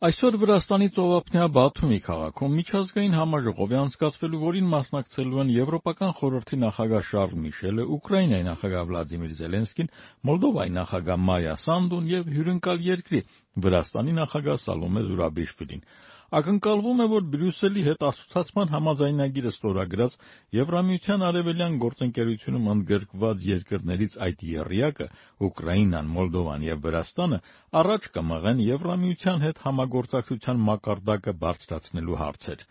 Այսօր Վրաստանի ծովափնյա Բաթումի քաղաքում միջազգային համաժողով է անցկացվելու, որին մասնակցելու են Եվրոպական խորհրդի նախագահ Շարլ Միշելը, Ուկրաինայի նախագահ Վլադիմիր Զելենսկին, Մոլդովայի նախագահ Մայա Սանդուն եւ հյուրընկալ երկրի Վրաստանի նախագահ Սալոմե Զուրաբիշվիլին։ Ակնկալվում է, որ Բրյուսելի հետ ասոցիացման համաձայնագիրը ստորագրած Եվրամիության արևելյան գործընկերությունում ընդգրկված երկրներից այդ եռյակը Ուկրաինան, Մոլդովան եւ Վրաստանը առաջ կմղեն Եվրամիության հետ համագործակցության մակարդակը բարձրացնելու հարցեր։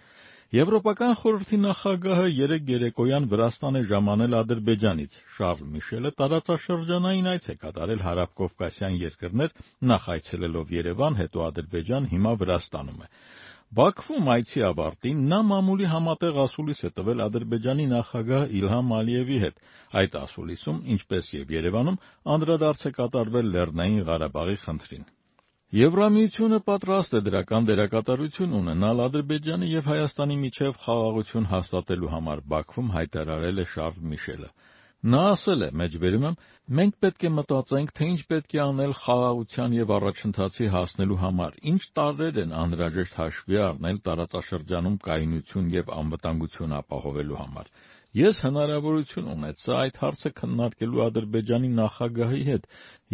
Եվրոպական խորհրդի նախագահը երեկ երեկոյան Վրաստան է ժամանել Ադրբեջանից։ Շարլ Միշելը տարածաշրջանային այց է կատարել հարավկովկասյան երկրներ, նախ այցելելով Երևան, հետո Ադրբեջան, հիմա Վրաստանում է։ Բաքվում այցի ավարտին նա մամուլի համատեղ ասուլիս է տվել Ադրբեջանի նախագահ Իլհամ Ալիևի հետ։ Այդ ասուլիսում, ինչպես եւ Երևանում, անդրադարձ է կատարվել Լեռնային Ղարաբաղի խնդրին։ Եվրամիությունը պատրաստ է դրական դերակատարություն ունենալ Ադրբեջանի եւ Հայաստանի միջև խաղաղություն հաստատելու համար, Բաքվում հայտարարել է Շարլ Միշելը։ Նա ասել է. «Մենք պետք է մտածենք, թե ինչ պետք է անել խաղաղության եւ առաջընթացի հասնելու համար, ինչ տարրեր են անհրաժեշտ հաշվի առնել տարածաշրջանում կայունություն եւ անվտանգություն ապահովելու համար։ Ես հնարավորություն ունեցա այդ հարցը քննարկելու Ադրբեջանի նախագահի հետ։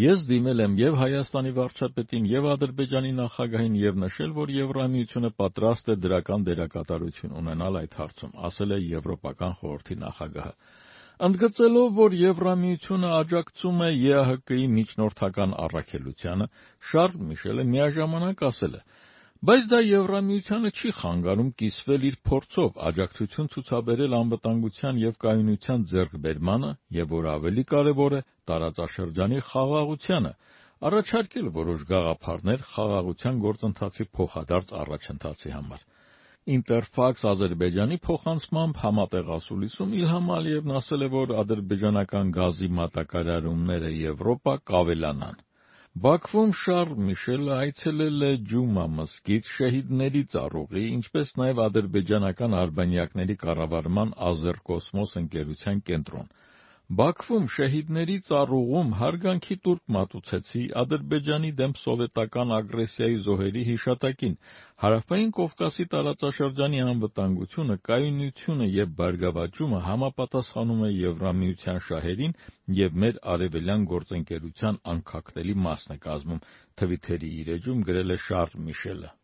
Ես դիմել եմ եւ Հայաստանի վարչապետին, եւ Ադրբեջանի նախագահին եւ նշել, որ Եվրամիությունը պատրաստ է դրական դերակատարություն ունենալ այդ հարցում», ասել է Եվրոպական խորհրդի նախագահը։ Ընդգծելով, որ Եվրամիությունը աջակցում է ԵԱՀԿ-ի միջնորդական առաքելությանը, Շարլ Միշելը միաժամանակ ասել է. «Բայց դա Եվրամիությանը չի խանգարում կիսվել իր փորձով աջակցություն ցուցաբերել անվտանգության եւ կայունության ձեռքբերմանը եւ, որ ավելի կարեւոր է, տարածաշրջանի խաղաղությանը, առաջարկել որոշ գաղափարներ խաղաղության գործընթացի փոխադարձ առաջընթացի համար»։ Ինտերֆաքս Ադրբեջանի փոխանցմամբ համատեղ ասուլիսում Իլհամ Ալիևն ասել է, որ ադրբեջանական գազի մատակարարումները Եվրոպա կավելանան։ Բաքվում Շարլ Միշելը այցելել է Ջումա մզկիթ, Շեհիդների ծառուղի, ինչպես նաև ադրբեջանական արբանյակների կառավարման Ազերկոսմոս ընկերության կենտրոն։ Բաքվում Շեհիդների ծառուղում հարգանքի տուրք մատուցեցի Ադրբեջանի դեմ սովետական ագրեսիայի զոհերի հիշատակին։ Հարավային Կովկասի տարածաշրջանի անվտանգությունը, կայունությունը եւ բարգավաճումը համապատասխանում է Եվրամիության շահերին եւ մեր արևելյան գործընկերության անքակտելի մասն է կազմում, Թվիթերի իր էջում գրել է Շարլ Միշելը։